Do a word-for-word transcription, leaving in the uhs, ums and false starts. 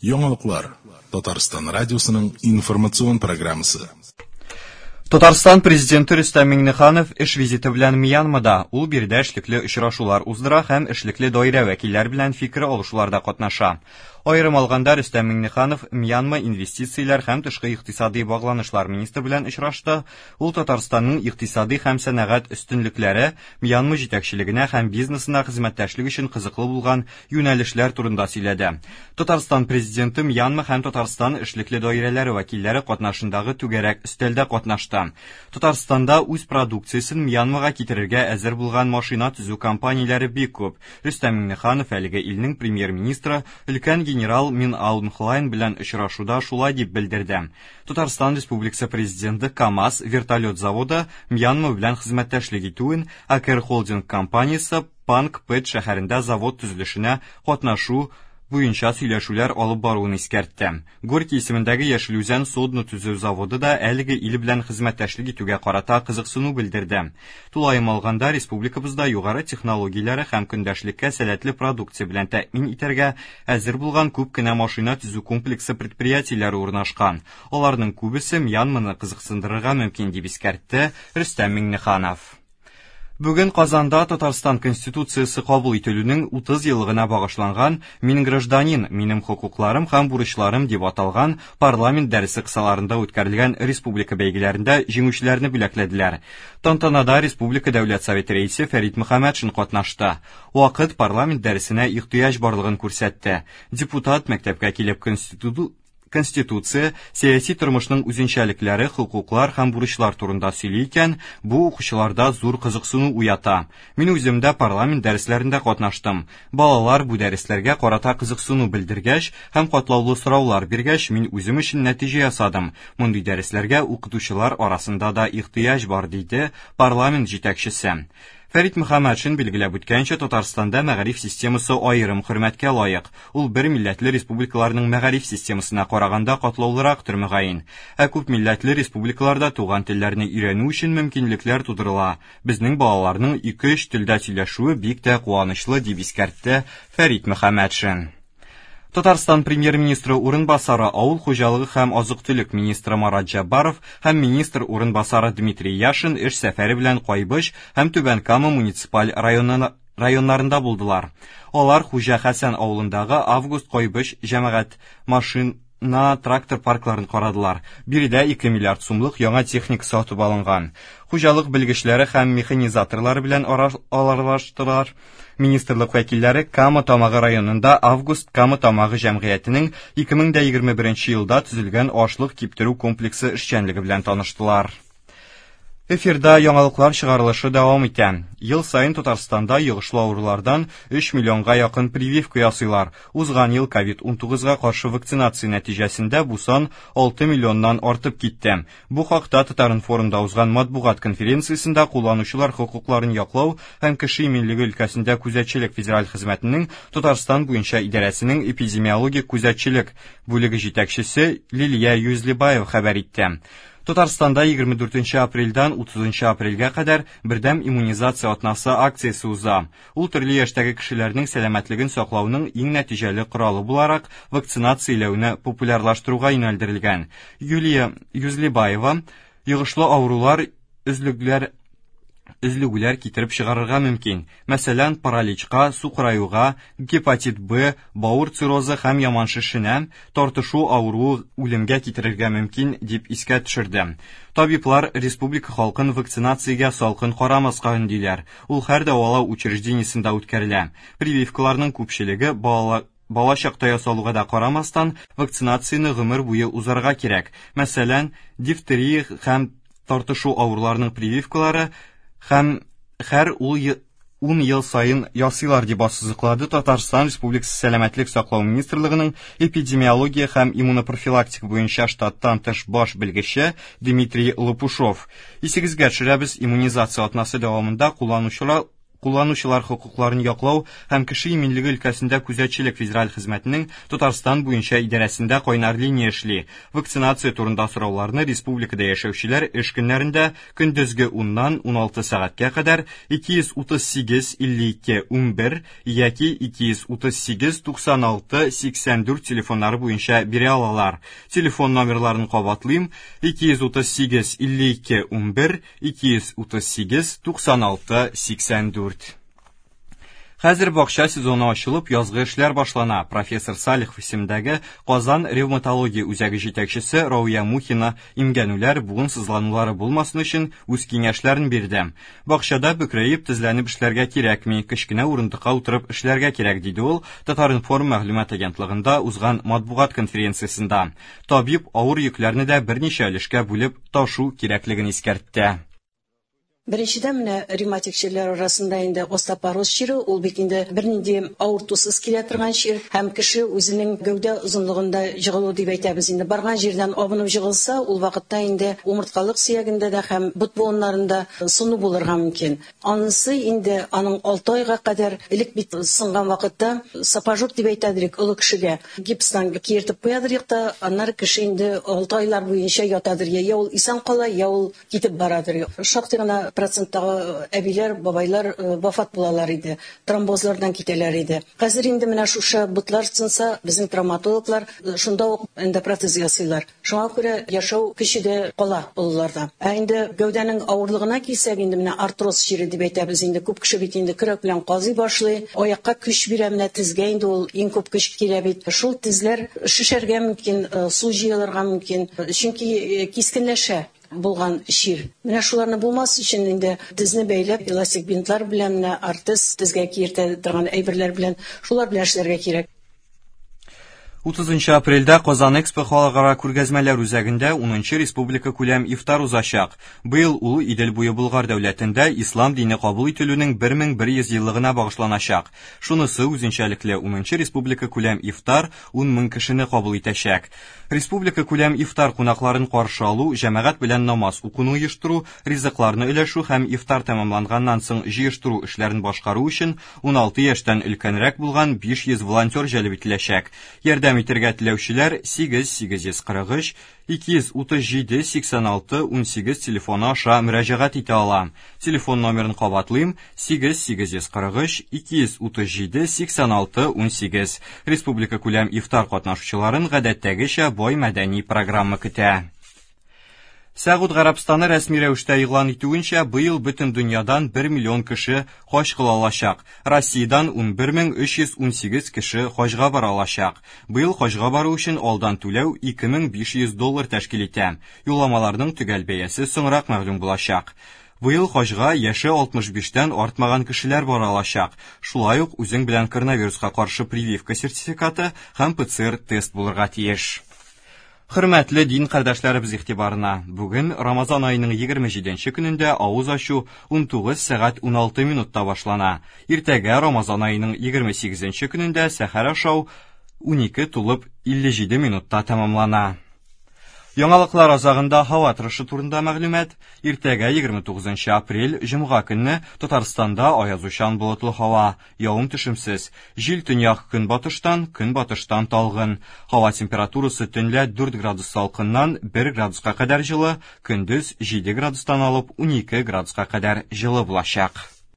Яңалыклар. Татарстан радиосының информацион программасы. Татарстан президенты Рөстәм Миңнеханов эш визиты белән Мьянмада. Ул биредә эшлекле очрашулар уздыра һәм эшлекле даирә вәкилләре белән фикер алышуларда катнаша. Аерым алганда, Рөстәм Миңнеханов Мьянма инвестицияләр һәм тышкы икътисади багланышлар министры белән очрашты. Ул Татарстанның икътисади һәм сәнәгать өстенлекләре, Мьянма җитәкчелегенә һәм бизнесына хезмәттәшлек өчен кызыклы булган юнәлешләр турында сөйләде. Татарстан президенты Мьянма һәм Татарстан эшлекле даирәләре вәкилләре катнашындагы түгәрәк өстәлдә катнашты. Татарстанда үз продукциясен Мьянмага китерергә әзер булган машина төзү компанияләре бик күп. Рөстәм Миңнеханов әлеге илнең премьер-министры өлкән генерал Мин Аун Хлайн белән очрашуда шулай дип белдерде. Татарстан Республикасы президенты КАМАЗ вертолет заводы Мьянма белән хезмәттәшлек итүен, Акер Холдинг компаниясе Панк Пэт шәһәрендә завод төзелешенә катнашу буенча сөйләшүләр алып баруын искәртте. Горький исемендәге Яшел Үзән судно төзү заводы да әлеге ил белән хезмәттәшлек итүгә карата кызыксыну белдерде. Тулаем алганда, республикабызда югары технологияләре һәм көндәшлеккә сәләтле продукция белән тәэмин итәргә әзер булган күп кенә машина төзү комплексы предприятиеләре урнашкан. Аларның күбесе Мьянманы кызыксындырырга мөмкин, дип искәртте Рөстәм Миңнеханов. Бүген Казанда Татарстан Конституциясе кабул ителүнең утыз еллыгына багышланган «Мин гражданин, минем хокукларым һәм бурычларым» дип аталган парламент дәресе кысаларында үткәрелгән республика бәйгеләрендә җиңүчеләрне бүләкләделәр. Тантанада Республика Дәүләт Советы рәисе Фәрит Мөхәммәтшин катнашты. Вакыт парламент дәресенә ихтыяҗ барлыгын күрсәтте. Депутат мәктәпкә килеп Конститу Конституция, сәяси тормышның үзенчәлекләре, хокуклар һәм бурычлар турында сөйли икән, бу укучыларда зур кызыксыну уята. Мин үзем дә парламент дәресләрендә катнаштым. Балалар бу дәресләргә карата кызыксыну белдергәч һәм катлаулы сораулар биргәч, мин үзем өчен нәтиҗә ясадым. Мондый дәресләргә укытучылар арасында да ихтыяҗ бар, диде парламент җитәкчесе. Фәрит Мөхәммәтшин билгеләп үткәнчә, Татарстанда мәгариф системасы аерым хөрмәткә лаек. Ул бер милләтле республикаларның мәгариф системасына караганда катлаулырактыр мөгаен. Ә күп милләтле республикаларда туган телләрне өйрәнү өчен мөмкинлекләр тудырыла. Безнең балаларның ике-өч телдә сөйләшүе бик тә куанычлы, дип искәртте Фәрит Мөхәммәтшин. Татарстан премьер-министры урынбасары, авыл хуҗалыгы һәм азык-төлек министры Марат Җәббаров һәм министр урынбасары Дмитрий Яшин эш сәфәре белән Кайбыч һәм Түбән Кама муниципаль районнарында булдылар. Алар Хуҗа Хәсән авылындагы Август Кайбыч җәмәгать машина трактор паркларын карадылар. Биредә ике миллиард сумлык яңа техника сатып алынган. Хуҗалык белгечләре һәм механизаторлары белән аралаштылар. Министрлык вәкилләре Кама Тамагы районында Август Кама Тамагы җәмгыятенең ике мең дә егерме беренче елда төзелгән ашлык киптерү комплексы эшчәнлеге белән таныштылар. Эфирда яңалыклар чыгарылышы дәвам итә. Ел саен Татарстанда йогышлы авырулардан өч миллионга якын прививка ясыйлар. Узган ел ковид унтугызга каршы вакцинация нәтиҗәсендә бу сан алты миллионнан артып китте. Бу хакта Татар-информда узган матбугат конференциясендә кулланучылар хокукларын яклау һәм кеше иминлеге өлкәсендә күзәтчелек федераль хезмәтенең Татарстан буенча идарәсенең эпидемиологик күзәтчелек бүлеге җитәкчесе Лилия Юзлибаева хәбәр итте. Татарстанда егерме дүртенче апрельдән утызынчы апрельгә кадәр бердәм иммунизация атнасы акциясе уза. Ул төрле яшьтәге кешеләрнең сәламәтлеген саклауның иң нәтиҗәле коралы буларак вакцинацияләүне популярлаштыруга юнәлдерелгән. Юлия Юзлибаева йогышлы авырулар өзлегүләр өзлегүләр китереп чыгарырга мөмкин. Мәсәлән, параличка, сукыраюга, гепатит Б, бавыр циррозы һәм яман шешенә тартышу авыруы үлемгә китерергә мөмкин, дип искә төшерде. Табиблар республика халкын вакцинациягә салкын карамаска өндиләр. Ул һәр дәвалау учреждениесендә үткәрелә. Прививкаларның күпчелеге бала Бала чакта ясалуга да карамастан, вакцинацияне гомер буе узарга кирәк. Мәсәлән, дифтерия һәм тартышу авыруларының прививкалары һәм һәр ун ел саен ясыйлар, дип ассызыклады Татарстан Республикасы Сәламәтлек саклау министрлыгының эпидемиология һәм иммунопрофилактика буенча штаттан тыш баш белгече Дмитрий Лопушов. Исегезгә төшерәбез, иммунизация атнасы дәвамында кулланучылар Кулланучылар хокукларын яклау һәм кеше иминлеге өлкәсендә күзәтчелек федераль хезмәтенең Татарстан буенча идарәсендә кайнар линия эшли. Вакцинация турында сорауларны республикада яшәүчеләр эш көннәрендә көндезге уннан уналты сәгатькә кадәр ике йөз утыз сигез илле ике унбер яки ике йөз утыз сигез туксан алты сиксән дүрт телефоннары буенча бирә алалар. Телефон номерларын кабатлыйм: ике йөз утыз сигез илле ике унбер, ике йөз утыз сигез туксан алты сиксән дүрт. Хәзер бакча сезоны ачылып, язгы эшләр башлана. Профессор Салихов исемендәге Казан ревматология үзәге җитәкчесе Рауя Мухина имгәнүләр, буын сызланулары булмасын өчен үз киңәшләрен бирде. Бакчада бөкрәеп, тезләнеп эшләргә кирәкми, кечкенә урындыкка утырып эшләргә кирәк, диде ул Татар-информ мәгълүмат агентлыгында узган матбугат конференциясендә. Табиб авыр йөкләрне дә берничә өлешкә бүлеп ташу кирәклеген искәртте. Беренчедән, менә ревматик чирләр арасында инде остеопороз чире, ул бит инде бернинди авыртусыз килә торган чир, һәм кеше үзенең гәүдә озынлыгында җыгылу дип әйтәбез инде. Барган җирдән абынып җыгылса, ул вакытта инде умырткалык сөягендә дә һәм бот буыннарында сыну булырга мөмкин. Анысы инде аның алты айга кадәр элек бит сынган вакытта сапожок дип әйтәдер, олы кешегә гипстан киертеп куядыр та, аннары кеше инде алты айлар буенча ятадыр. Я ул исән кала, я ул китеп барадыр. Шактый гына проценттагы әбиләр, бабайлар вафат булалар иде, тромбозлардан китәләр иде. Хәзер инде менә шушы ботлар сынса, безнең травматологлар шунда ук эндопротез ясыйлар. Шуңа күрә яшәү көче дә кала олыларда. Ә инде гәүдәнең авырлыгына килсәк, инде менә артроз чире дип әйтәбез инде. Күп кеше бит инде көрәк белән казый башлый, аякка көч бирә, менә тезгә инде ул иң күп көч килә бит. Шул тезләр шешәргә мөмкин, су җыелырга мөмкин, чөнки кискенләшә булган чир. Менә шуларны булмас өчен инде тезне бәйләп, эластик бинтлар белән, менә артез тезгә киертә торган әйберләр белән, шулар белән эшләргә кирәк. утызынчы апрельдә Казан Экспо халыкара күргәзмәләр үзәгендә унынчы республика күләм ифтар узачак. Быел ул Идел буе Болгар дәүләтендә ислам дине кабул ителүнең бер мең бер йөз еллыгына багышланачак. Шунысы үзенчәлекле: унынчы республика күләм ифтар ун мең кешене кабул итәчәк. Республика күләм ифтар кунакларын каршы алу, җәмәгать белән намаз укуны оештыру, ризыкларны өләшү һәм ифтар тәмамланганнан соң җыештыру эшләрен башкару өчен уналты яшьтән өлкәнрәк булган биш йөз волонтер җәлеп ителәчәк. Ярдәм итәргә теләүчеләр сигез сигез йөз кырык өч ике йөз утыз җиде сиксән алты унсигез телефоны аша мөрәҗәгать итә ала. Телефон номерын кабатлыйм: сигез сигез йөз кырык өч ике йөз утыз җиде сиксән алты унсигез. Республика күләм ифтар катнашучыларын гадәттәгечә бай мәдәни программа көтә. Сәгуд Гарәбстаны рәсми рәвештә игълан итүенчә, быел бөтен дөньядан бер миллион кеше хаҗ кыла алачак. Россиядән унбер мең өч йөз унсигез кеше хаҗга бара алачак. Быел хаҗга бару өчен алдан түләү ике мең биш йөз доллар тәшкил итә. Юлламаларның төгәл бәясе соңрак мәгълүм булачак. Быел хаҗга яше алтмыш биштән артмаган кешеләр бара алачак. Шулай ук үзең белән коронавируска каршы прививка сертификаты һәм П Ц Р тест булырга тиеш. Хөрмәтле дин кардәшләребез игътибарына, бүген Рамазан аеның егерме җиденче көнендә авыз ачу унтугыз сәгать уналты минутта башлана. Иртәгә Рамазан аеның егерме сигезенче көнендә сәхәр ашау унике тулып илле җиде минутта тәмамлана. Яңалыклар азагында һава торышы турында мәгълүмат. Иртәгә егерме тугызынчы апрель җомга көнне Татарстанда аязучан болытлы һава, явым-төшемсез. Җил төньяк көнбатыштан, көнбатыштан талгын. Һава температурасы төнлә дүрт градус салкыннан бер градуска кадәр җылы, көндез җиде градустан алып унике градуска кадәр җылы булачак.